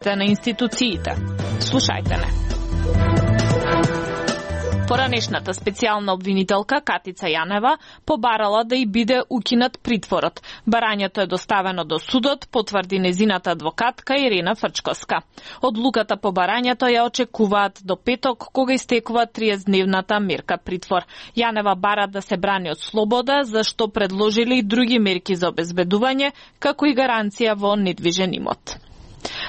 на институциите. Слушајте не. Поранешната специјална обвинителка Катица Јанева побарала да и биде укинат притворот. Барањето е доставено до судот, потврди незината адвокатка Ирена Фрчковска. Одлуката по барањето ја очекуваат до петок, кога истекува 30-дневната мерка притвор. Јанева бара да се брани од слобода, зашто предложили и други мерки за обезбедување, како и гаранција во недвижен имот.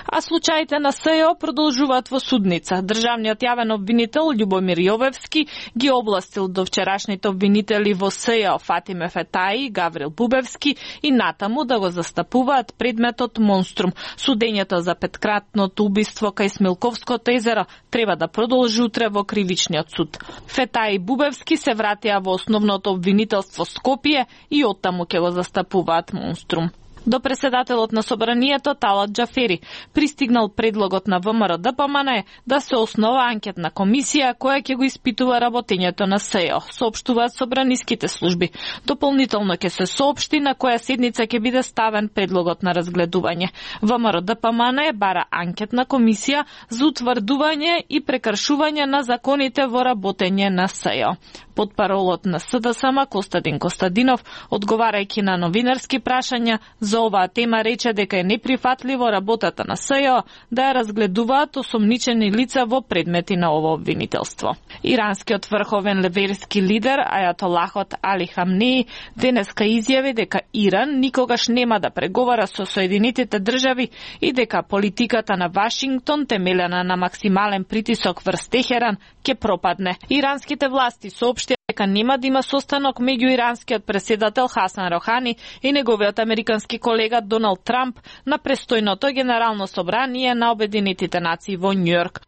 А случаите на СЈО продолжуваат во судница. Државниот јавен обвинител Љубомир Јовевски ги областил до вчерашните обвинители во СЈО Фатиме Фетаи и Гаврил Бубевски и натаму да го застапуваат предметот Монструм. Судењето за петкратното убиство кај Смилковското езеро треба да продолжи утре во кривичниот суд. Фетаи и Бубевски се вратија во основното обвинителство Скопје и оттаму ќе го застапуваат Монструм. До преседателот на собранието Талат Џафери пристигнал предлогот на ВМРО-ДПМН да се основа анкетна комисија која ќе го испитува работењето на СЈО, соопштуваат собраниските служби. Дополнително ќе се соопшти на која седница ќе биде ставен предлогот на разгледување. ВМРО-ДПМН бара анкетна комисија за утврдување и прекршување на законите во работење на СЈО. Потпаролот на СДСМ Костадин Костадинов, одговарајќи на новинарски прашања за оваа тема, рече дека е неприфатливо работата на СЈО да ја разгледуваат осомничени лица во предмети на ово обвинителство. Иранскиот врховен леверски лидер Ајатолахот Али Хамнеи денеска изјави дека Иран никогаш нема да преговара со Соединетите држави и дека политиката на Вашингтон, темелена на максимален притисок врз Техеран, ќе пропадне. Иранските власти соопштија дека нема да има состанок меѓу иранскиот преседател Хасан Рохани и неговиот американски колега Доналд Трамп на престојното генерално собрание на Обединетите нации во Њујорк.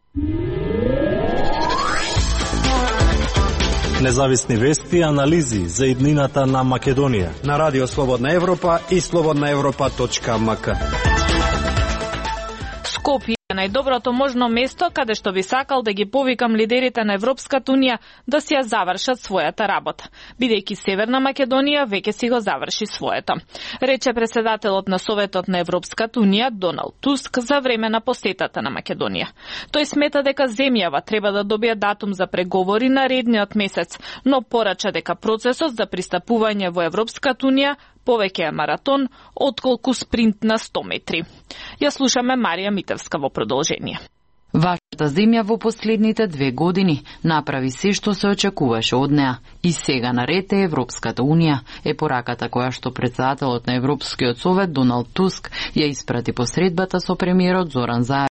Независни вести и анализи за иднината на Македонија на Радио Слободна Европа и slobodnaevropa.mk. Скопје е најдоброто можно место каде што би сакал да ги повикам лидерите на Европската унија да си ја завршат својата работа, бидејќи Северна Македонија веќе си го заврши своето, рече преседателот на Советот на Европската унија Доналд Туск за време на посетата на Македонија. Тој смета дека земјава треба да добие датум за преговори наредниот месец, но порача дека процесот за пристапување во Европската унија повеќе е маратон, отколку спринт на 100 метри. Ја слушаме Марија Митевска во продолжение. Вашата земја во последните 2 години направи се што се очекуваше од неа. И сега наред е Европската унија, е пораката која што председателот на Европскиот совет Доналд Туск ја испрати посредбата со премиерот Зоран Заев